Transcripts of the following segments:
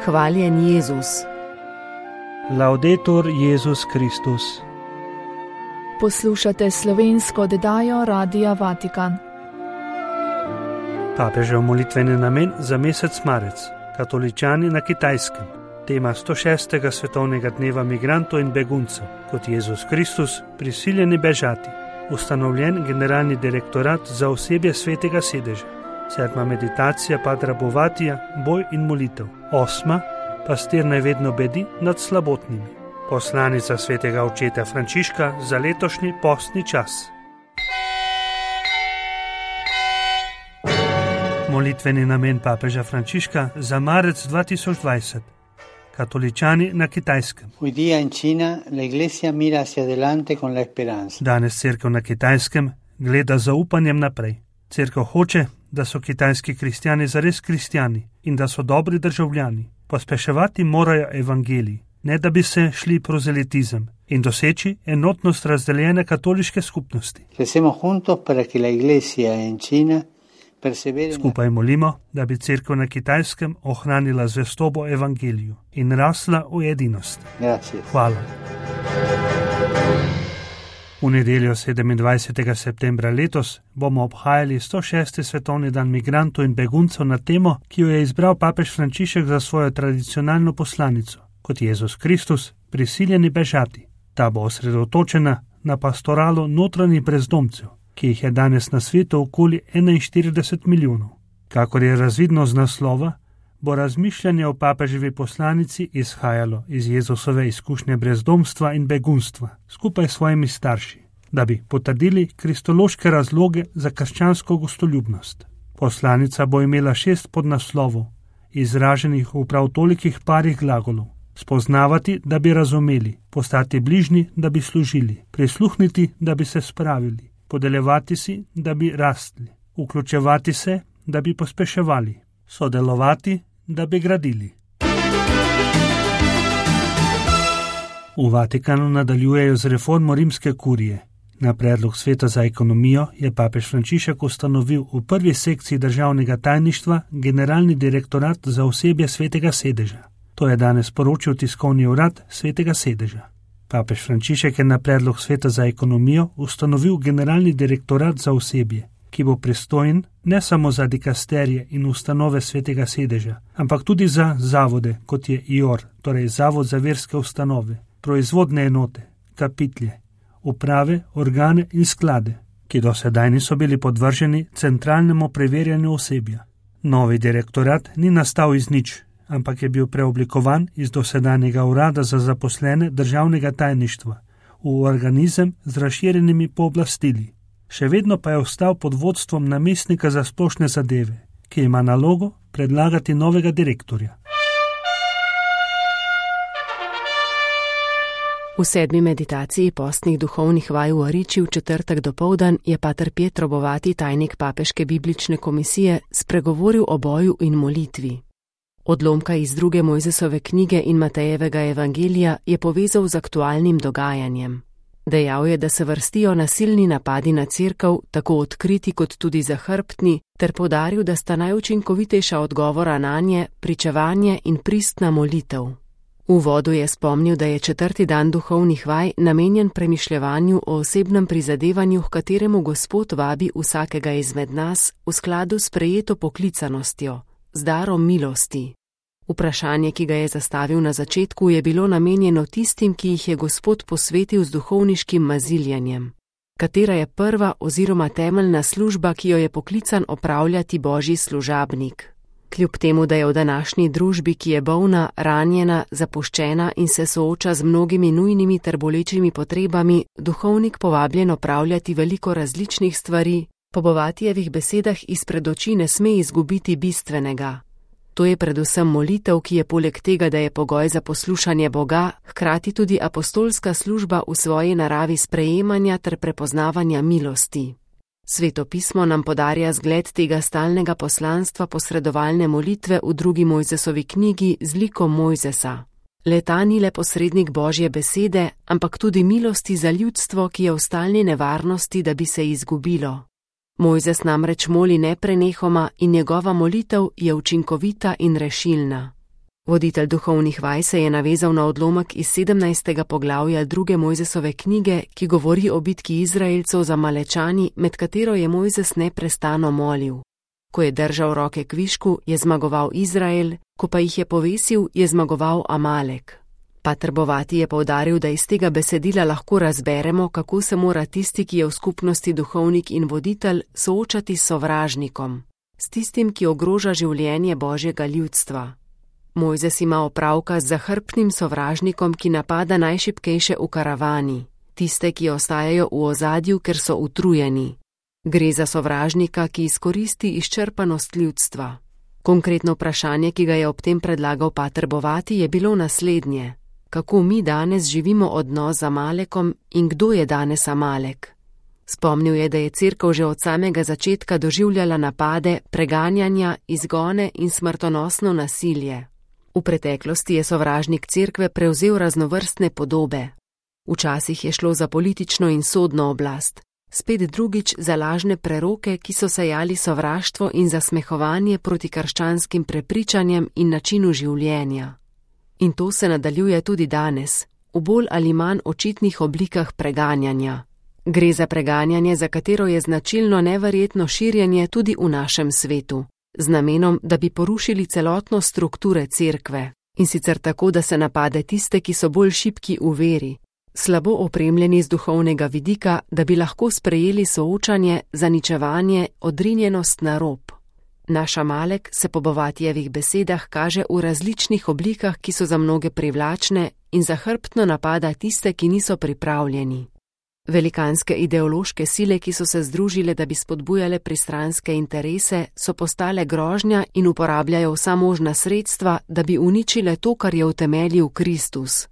Hvaljen Jezus. Laudetur Jezus Kristus. Poslušate slovensko oddajo Radia Vatikan. Papežev molitveni namen za mesec marec. Katoličani na Kitajskem. Tema 106. svetovnega dneva migrantov in beguncev, kot Jezus Kristus, prisiljeni bežati. Ustanovljen generalni direktorat za osebje svetega sedeža. 7. meditacija Padra Bovatija, boj in molitev. 8. pastir naj vedno bedi nad slabotnimi. Poslanica svetega očeta Frančiška za letošnji postni čas. Molitveni namen papeža Frančiška za marec 2020. Katoličani na Kitajskem. Danes cerkev na Kitajskem gleda z zaupanjem naprej. Cerkev hoče, da so kitajski kristjani zares kristjani in da so dobri državljani. Pospeševati morajo evangelij, ne da bi se šli prozelitizem in doseči enotnost razdeljene katoliške skupnosti. Skupaj molimo, da bi cerkev na Kitajskem ohranila zvestobo evangeliju in rasla v edinost. Hvala. V nedeljo 27. septembra letos bomo obhajali 106. svetovni dan migrantov in beguncev na temo, ki jo je izbral papež Frančišek za svojo tradicionalno poslanico, kot Jezus Kristus, prisiljeni bežati. Ta bo osredotočena na pastoralo notranjih brezdomcev, ki jih je danes na svetu okoli 41 milijonov. Kakor je razvidno z naslova, bo razmišljanje o papeževi poslanici izhajalo iz Jezusove izkušnje brezdomstva in begunstva skupaj s svojimi starši, da bi potrdili kristološke razloge za krščansko gostoljubnost. Poslanica bo imela 6 podnaslovov, izraženih v prav tolikih parih glagolov. Spoznavati, da bi razumeli, postati bližnji, da bi služili, prisluhniti, da bi se spravili, podeljevati si, da bi rastli, vključevati se, da bi pospeševali, sodelovati, da bi gradili. V Vatikanu nadaljujejo z reformo rimske kurije. Na predlog Sveta za ekonomijo je papež Frančišek ustanovil v prvi sekciji državnega tajništva generalni direktorat za osebje svetega sedeža. To je danes poročil tiskovni urad svetega sedeža. Papež Frančišek je na predlog Sveta za ekonomijo ustanovil generalni direktorat za osebje, ki bo pristojen ne samo za dikasterije in ustanove svetega sedeža, ampak tudi za zavode, kot je IOR, torej Zavod za verske ustanove, proizvodne enote, kapitlje, uprave, organe in sklade, ki do sedaj niso bili podvrženi centralnemu preverjanju osebja. Novi direktorat ni nastal iz nič, ampak je bil preoblikovan iz dosedanjega urada za zaposlene državnega tajništva v organizem z razširjenimi pooblastili. Še vedno pa je ostal pod vodstvom namestnika za splošne zadeve, ki ima nalogo predlagati novega direktorja. V 7. meditaciji postnih duhovnih vaj v Ariči v četrtek dopoldan je pater Pietro Bovati, tajnik papeške biblične komisije, spregovoril o boju in molitvi. Odlomka iz 2. Mojzesove knjige in Matejevega evangelija je povezal z aktualnim dogajanjem. Dejal je, da se vrstijo nasilni napadi na cerkev, tako odkriti kot tudi zahrbtni, ter poudaril, da sta najučinkovitejša odgovora nanje pričevanje in pristna molitev. V uvodu je spomnil, da je 4. dan duhovnih vaj namenjen premišljevanju o osebnem prizadevanju, h kateremu Gospod vabi vsakega izmed nas v skladu s prejeto poklicanostjo, z darom milosti. Vprašanje, ki ga je zastavil na začetku, je bilo namenjeno tistim, ki jih je Gospod posvetil z duhovniškim maziljanjem. Katera je prva oziroma temeljna služba, ki jo je poklican opravljati Božji služabnik? Kljub temu, da je v današnji družbi, ki je bolna, ranjena, zapuščena in se sooča z mnogimi nujnimi ter bolečimi potrebami, duhovnik povabljen opravljati veliko različnih stvari, po Bovatijevih besedah izpred oči ne sme izgubiti bistvenega. To je predvsem molitev, ki je poleg tega, da je pogoj za poslušanje Boga, hkrati tudi apostolska služba v svoji naravi sprejemanja ter prepoznavanja milosti. Sveto pismo nam podarja zgled tega stalnega poslanstva posredovalne molitve v 2. Mojzesovi knjigi z likom Mojzesa. Le-ta ni le posrednik Božje besede, ampak tudi milosti za ljudstvo, ki je v stalni nevarnosti, da bi se izgubilo. Mojzes namreč moli neprenehoma in njegova molitev je učinkovita in rešilna. Voditelj duhovnih vaj se je navezal na odlomek iz 17. poglavja 2. Mojzesove knjige, ki govori o bitki Izraelcev z Amalečani, med katero je Mojzes neprestano molil. Ko je držal roke kvišku, je zmagoval Izrael, ko pa jih je povesil, je zmagoval Amalek. Pater Bovati je poudaril, da iz tega besedila lahko razberemo, kako se mora tisti, ki je v skupnosti duhovnik in voditelj, soočati s sovražnikom, s tistim, ki ogroža življenje Božjega ljudstva. Mojzes ima opravka z zahrbtnim sovražnikom, ki napada najšibkejše v karavani, tiste, ki ostajajo v ozadju, ker so utrujeni. Gre za sovražnika, ki izkoristi izčrpanost ljudstva. Konkretno vprašanje, ki ga je ob tem predlagal pater Bovati, je bilo naslednje: kako mi danes živimo odnos z Amalekom in kdo je danes Amalek? Spomnil je, da je Cerkev že od samega začetka doživljala napade, preganjanja, izgone in smrtonosno nasilje. V preteklosti je sovražnik Cerkve prevzel raznovrstne podobe. Včasih je šlo za politično in sodno oblast, spet drugič za lažne preroke, ki so sejali sovraštvo in zasmehovanje proti krščanskim prepričanjem in načinu življenja. In to se nadaljuje tudi danes, v bolj ali manj očitnih oblikah preganjanja. Gre za preganjanje, za katero je značilno neverjetno širjenje tudi v našem svetu, z namenom, da bi porušili celotno strukture Cerkve, in sicer tako, da se napade tiste, ki so bolj šibki v veri, slabo opremljeni z duhovnega vidika, da bi lahko sprejeli soočanje, zaničevanje, odrinjenost na rob. Naš Amalek se po Bovatijevih besedah kaže v različnih oblikah, ki so za mnoge privlačne, in zahrbtno napada tiste, ki niso pripravljeni. Velikanske ideološke sile, ki so se združile, da bi spodbujale pristranske interese, so postale grožnja in uporabljajo vsa možna sredstva, da bi uničile to, kar je utemeljil Kristus.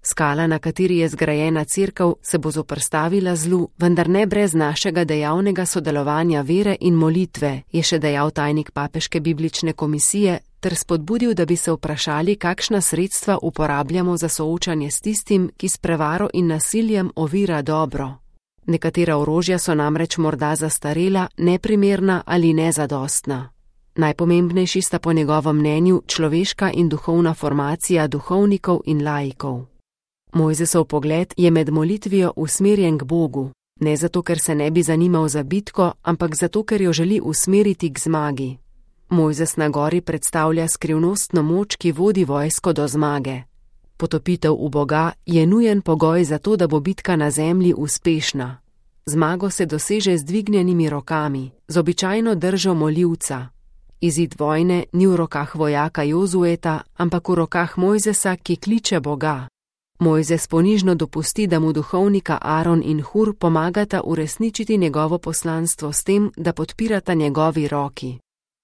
Skala, na kateri je zgrajena Cerkev, se bo zoperstavila zlu, vendar ne brez našega dejavnega sodelovanja vere in molitve, je še dejal tajnik Papeške biblične komisije, ter spodbudil, da bi se vprašali, kakšna sredstva uporabljamo za soočanje s tistim, ki s prevaro in nasiljem ovira dobro. Nekatera orožja so namreč morda zastarela, neprimerna ali nezadostna. Najpomembnejši sta po njegovem mnenju človeška in duhovna formacija duhovnikov in laikov. Mojzesov pogled je med molitvijo usmerjen k Bogu, ne zato, ker se ne bi zanimal za bitko, ampak zato, ker jo želi usmeriti k zmagi. Mojzes na gori predstavlja skrivnostno moč, ki vodi vojsko do zmage. Potopitev v Boga je nujen pogoj za to, da bo bitka na zemlji uspešna. Zmago se doseže z dvignjenimi rokami, z običajno držo molivca. Izid vojne ni v rokah vojaka Jozueta, ampak v rokah Mojzesa, ki kliče Boga. Mojzes ponižno dopusti, da mu duhovnika Aron in Hur pomagata uresničiti njegovo poslanstvo s tem, da podpirata njegovi roki.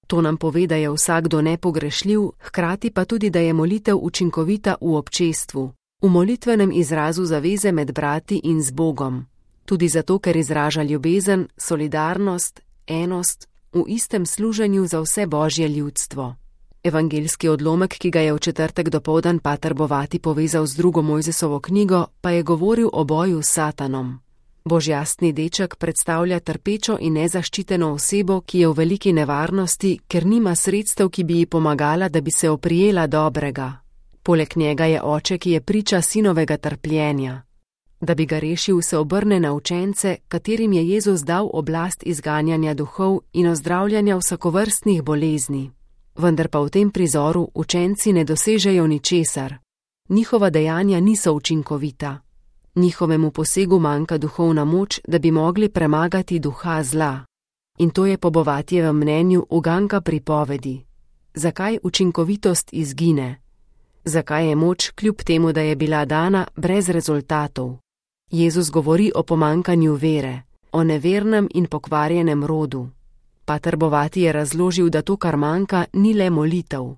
To nam pove, da je vsakdo nepogrešljiv, hkrati pa tudi, da je molitev učinkovita v občestvu, v molitvenem izrazu zaveze med brati in z Bogom. Tudi zato, ker izraža ljubezen, solidarnost, enost, v istem služenju za vse Božje ljudstvo. Evangeljski odlomek, ki ga je v četrtek dopoldan pater Bovati povezal z drugo Mojzesovo knjigo, pa je govoril o boju s Satanom. Božjastni deček predstavlja trpečo in nezaščiteno osebo, ki je v veliki nevarnosti, ker nima sredstev, ki bi ji pomagala, da bi se oprijela dobrega. Poleg njega je oče, ki je priča sinovega trpljenja. Da bi ga rešil, se obrne na učence, katerim je Jezus dal oblast izganjanja duhov in ozdravljanja vsakovrstnih bolezni. Vendar pa v tem prizoru učenci ne dosežejo ničesar. Njihova dejanja niso učinkovita. Njihovemu posegu manjka duhovna moč, da bi mogli premagati duha zla. In to je po Bovatijevem mnenju uganka pripovedi. Zakaj učinkovitost izgine? Zakaj je moč, kljub temu, da je bila dana, brez rezultatov? Jezus govori o pomanjkanju vere, o nevernem in pokvarjenem rodu. Pater Bovati je razložil, da to, kar manjka, ni le molitev.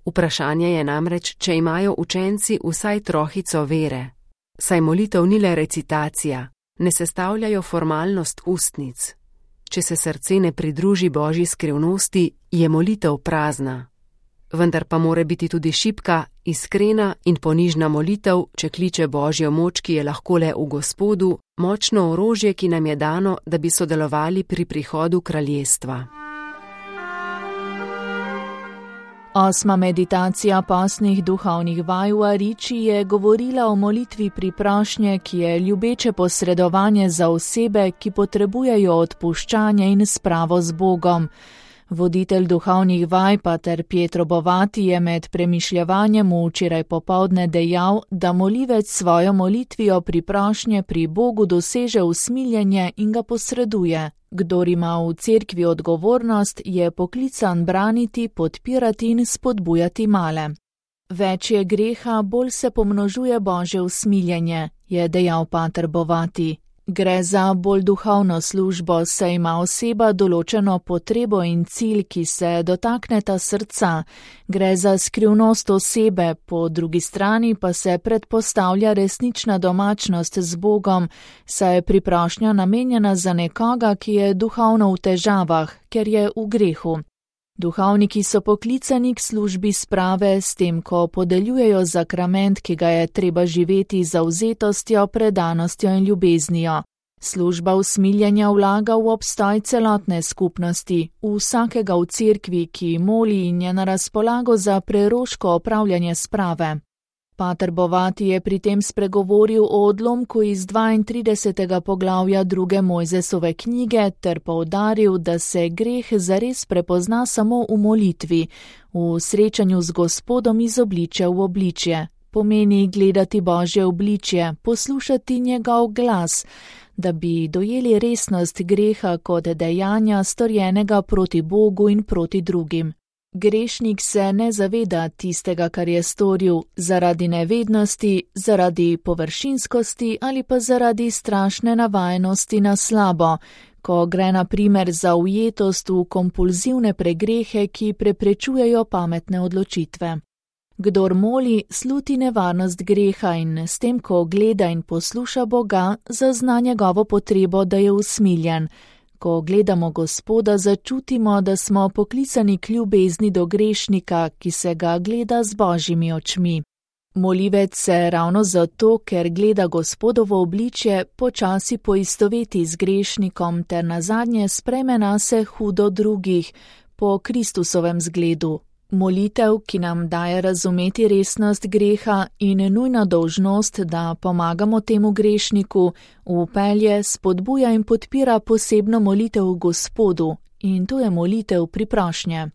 Vprašanje je namreč, če imajo učenci vsaj trohico vere. Saj molitev ni le recitacija, ne sestavljajo formalnost ustnic. Če se srce ne pridruži Božji skrivnosti, je molitev prazna. Vendar pa mora biti tudi šibka, iskrena in ponižna molitev, če kliče Božjo moč, ki je lahko le v Gospodu, močno orožje, ki nam je dano, da bi sodelovali pri prihodu kraljestva. Osma meditacija postnih duhovnih vaj v Ariči je govorila o molitvi priprošnje, ki je ljubeče posredovanje za osebe, ki potrebujejo odpuščanje in spravo z Bogom. Voditelj duhovnih vaj, pater Pietro Bovati, je med premišljevanjem včeraj popoldne dejal, da molivec svojo molitvijo priprošnje pri Bogu doseže usmiljenje in ga posreduje. Kdor ima v cerkvi odgovornost, je poklican braniti, podpirati in spodbujati male. Več je greha, bolj se pomnožuje Božje usmiljenje, je dejal pater Bovati. Gre za bolj duhovno službo, saj ima oseba določeno potrebo in cilj, ki se dotakneta srca. Gre za skrivnost osebe, po drugi strani pa se predpostavlja resnična domačnost z Bogom, saj je priprošnja namenjena za nekoga, ki je duhovno v težavah, ker je v grehu. Duhovniki so poklicani k službi sprave, s tem, ko podeljujejo zakrament, ki ga je treba živeti z zavzetostjo, predanostjo in ljubeznijo. Služba usmiljenja vlaga v obstoj celotne skupnosti, v vsakega v cerkvi, ki moli in je na razpolago za preroško opravljanje sprave. Pater Bovati je pri tem spregovoril o odlomku iz 32. poglavja 2. Mojzesove knjige ter poudaril, da se greh zares prepozna samo v molitvi, v srečanju z Gospodom iz obličja v obličje. Pomeni gledati Božje obličje, poslušati njegov glas, da bi dojeli resnost greha kot dejanja storjenega proti Bogu in proti drugim. Grešnik se ne zaveda tistega, kar je storil, zaradi nevednosti, zaradi površinskosti ali pa zaradi strašne navajenosti na slabo, ko gre na primer za ujetost v kompulzivne pregrehe, ki preprečujejo pametne odločitve. Kdor moli, sluti nevarnost greha in s tem, ko gleda in posluša Boga, zazna njegovo potrebo, da je usmiljen. Ko gledamo Gospoda, začutimo, da smo poklicani k ljubezni do grešnika, ki se ga gleda z Božjimi očmi. Molivec se ravno zato, ker gleda Gospodovo obličje, počasi poistoveti z grešnikom ter nazadnje sprejme nase hudo drugih, po Kristusovem zgledu. Molitev, ki nam daje razumeti resnost greha in nujna dolžnost, da pomagamo temu grešniku, vpelje, spodbuja in podpira posebno molitev Gospodu, in to je molitev priprošnje.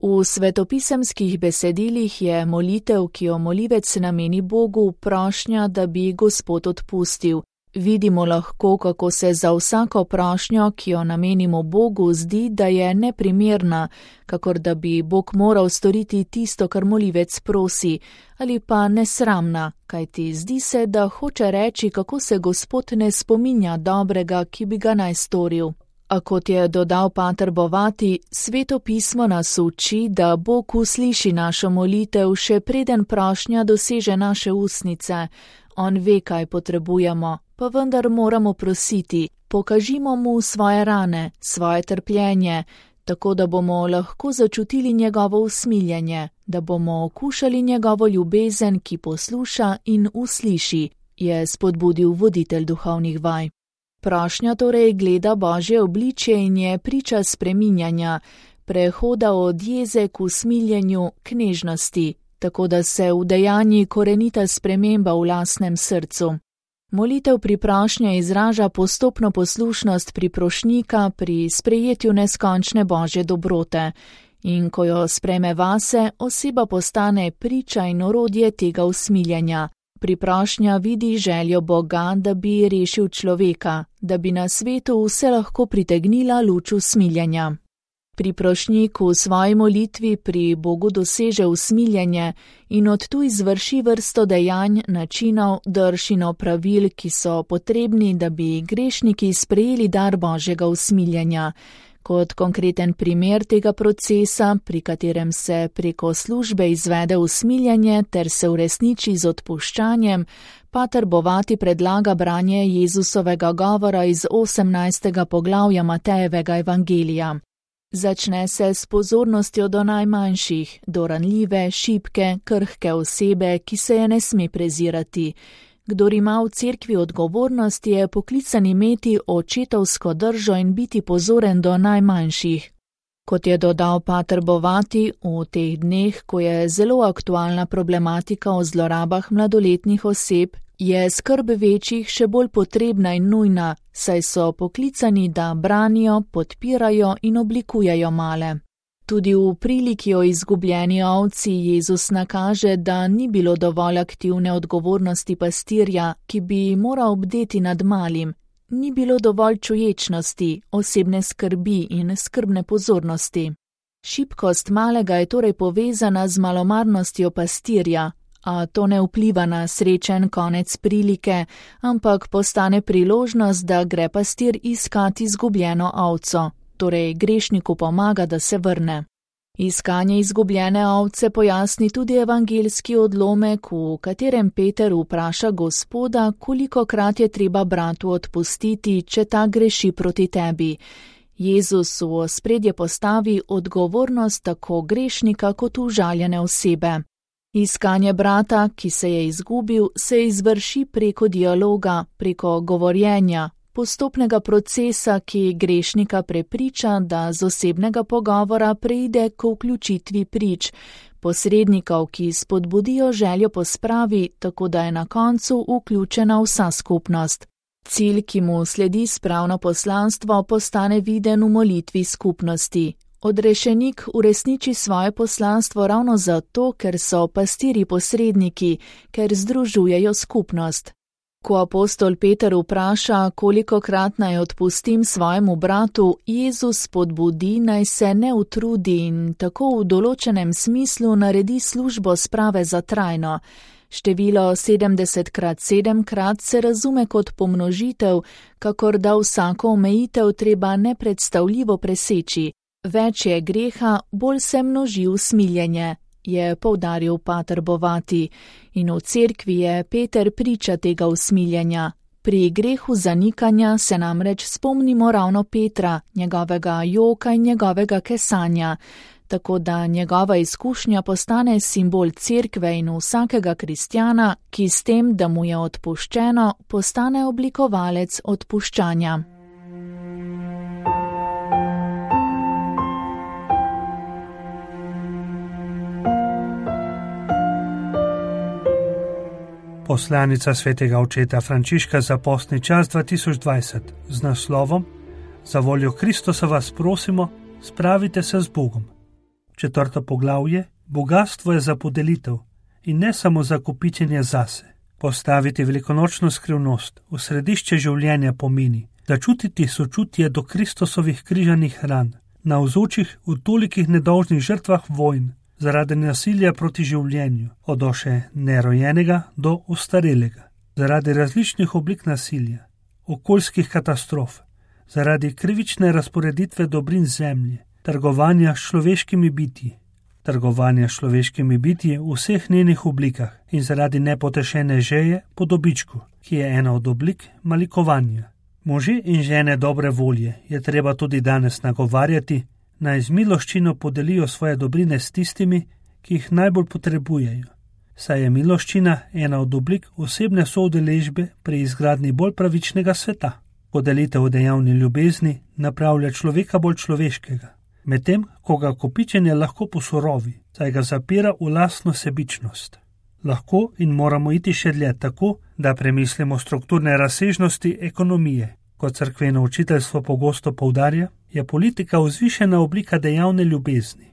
V svetopisemskih besedilih je molitev, ki jo molivec nameni Bogu, prošnja, da bi Gospod odpustil. Vidimo lahko, kako se za vsako prošnjo, ki jo namenimo Bogu, zdi, da je neprimerna, kakor da bi Bog moral storiti tisto, kar molivec prosi, ali pa nesramna, kajti zdi se, da hoče reči, kako se Gospod ne spominja dobrega, ki bi ga naj storil. A kot je dodal pater Bovati, Sveto pismo nas uči, da Bog usliši našo molitev, še preden prošnja doseže naše ustnice. On ve, kaj potrebujemo, pa vendar moramo prositi, pokažimo mu svoje rane, svoje trpljenje, tako da bomo lahko začutili njegovo usmiljenje, da bomo okušali njegovo ljubezen, ki posluša in usliši, je spodbudil voditelj duhovnih vaj. Prošnja torej gleda Božje obličje in je priča spreminjanja, prehoda od jeze k usmiljenju, k nežnosti, tako da se udejanji korenita sprememba v lastnem srcu. Molitev priprošnje izraža postopno poslušnost priprošnika pri sprejetju neskončne Božje dobrote in ko jo spreme vase, oseba postane priča in orodje tega usmiljenja. Priprošnja vidi željo Boga, da bi rešil človeka, da bi na svetu vse lahko pritegnila luč usmiljenja. Priprošnik v svoji molitvi pri Bogu doseže usmiljenje in od tu izvrši vrsto dejanj, načinov, drž in opravil, ki so potrebni, da bi grešniki sprejeli dar Božjega usmiljenja. Kot konkreten primer tega procesa, pri katerem se preko službe izvede usmiljenje ter se uresniči z odpuščanjem, pater Bovati predlaga branje Jezusovega govora iz 18. poglavja Matejevega evangelija. Začne se s pozornostjo do najmanjših, do ranljive, šibke, krhke osebe, ki se je ne sme prezirati. Kdor ima v cerkvi odgovornost, je poklican imeti očetovsko držo in biti pozoren do najmanjših. Kot je dodal pater Bovati, v teh dneh, ko je zelo aktualna problematika o zlorabah mladoletnih oseb, je skrb večjih še bolj potrebna in nujna, saj so poklicani, da branijo, podpirajo in oblikujejo male. Tudi v priliki o izgubljeni ovci Jezus nakaže, da ni bilo dovolj aktivne odgovornosti pastirja, ki bi moral bdeti nad malim, ni bilo dovolj čuječnosti, osebne skrbi in skrbne pozornosti. Šibkost malega je torej povezana z malomarnostjo pastirja, a to ne vpliva na srečen konec prilike, ampak postane priložnost, da gre pastir iskat izgubljeno ovco, torej grešniku pomaga, da se vrne. Iskanje izgubljene ovce pojasni tudi evangeljski odlomek, v katerem Peter vpraša Gospoda, kolikokrat je treba bratu odpustiti, če ta greši proti tebi. Jezus v ospredje postavi odgovornost tako grešnika kot užaljene osebe. Iskanje brata, ki se je izgubil, se izvrši preko dialoga, preko govorjenja, postopnega procesa, ki grešnika prepriča, da z osebnega pogovora preide k vključitvi prič, posrednikov, ki spodbudijo željo po spravi, tako da je na koncu vključena vsa skupnost. Cilj, ki mu sledi spravno poslanstvo, postane viden v molitvi skupnosti. Odrešenik uresniči svoje poslanstvo ravno zato, ker so pastirji posredniki, ker združujejo skupnost. Ko apostol Peter vpraša, kolikokrat naj odpustim svojemu bratu, Jezus spodbudi, naj se ne utrudi in tako v določenem smislu naredi službo sprave za trajno. Število 70x7 se razume kot pomnožitev, kakor da vsako omejitev treba nepredstavljivo preseči. Več je greha, bolj se množi usmiljenje, je poudaril pater Bovati, in v cerkvi je Peter priča tega usmiljenja. Pri grehu zanikanja se namreč spomnimo ravno Petra, njegovega joka in njegovega kesanja, tako da njegova izkušnja postane simbol cerkve in vsakega kristjana, ki s tem, da mu je odpuščeno, postane oblikovalec odpuščanja. Poslanica svetega očeta Frančiška za postni čas 2020 z naslovom Za voljo Kristusa vas prosimo, spravite se z Bogom. 4. poglavje: Bogastvo je za podelitev in ne samo za kopičenje zase. Postaviti velikonočno skrivnost v središče življenja pomeni, da čutiti sočutje do Kristusovih križanih ran, navzočih v tolikih nedolžnih žrtvah vojn, zaradi nasilja proti življenju, od še nerojenega do ostarelega, zaradi različnih oblik nasilja, okoljskih katastrof, zaradi krivične razporeditve dobrin zemlje, trgovanja s človeškimi bitji v vseh njenih oblikah in zaradi nepotešene želje po dobičku, ki je ena od oblik malikovanja. Može in žene dobre volje je treba tudi danes nagovarjati, naj z miloščino podelijo svoje dobrine s tistimi, ki jih najbolj potrebujejo. Saj je miloščina ena od oblik osebne soudeležbe pri izgradnji bolj pravičnega sveta. Podelitev dejavni ljubezni napravlja človeka bolj človeškega, medtem ko ga kopičenje lahko posorovi, saj ga zapira v lastno sebičnost. Lahko in moramo iti še dlje tako, da premislimo strukturne razsežnosti ekonomije. Kot cerkveno učiteljstvo pogosto poudarja, je politika vzvišena oblika dejavne ljubezni.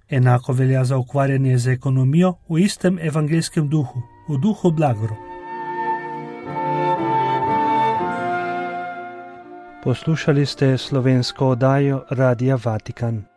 Enako velja za ukvarjanje z ekonomijo v istem evangeljskem duhu, v duhu blagoro. Poslušali ste slovensko oddajo Radia Vatikan.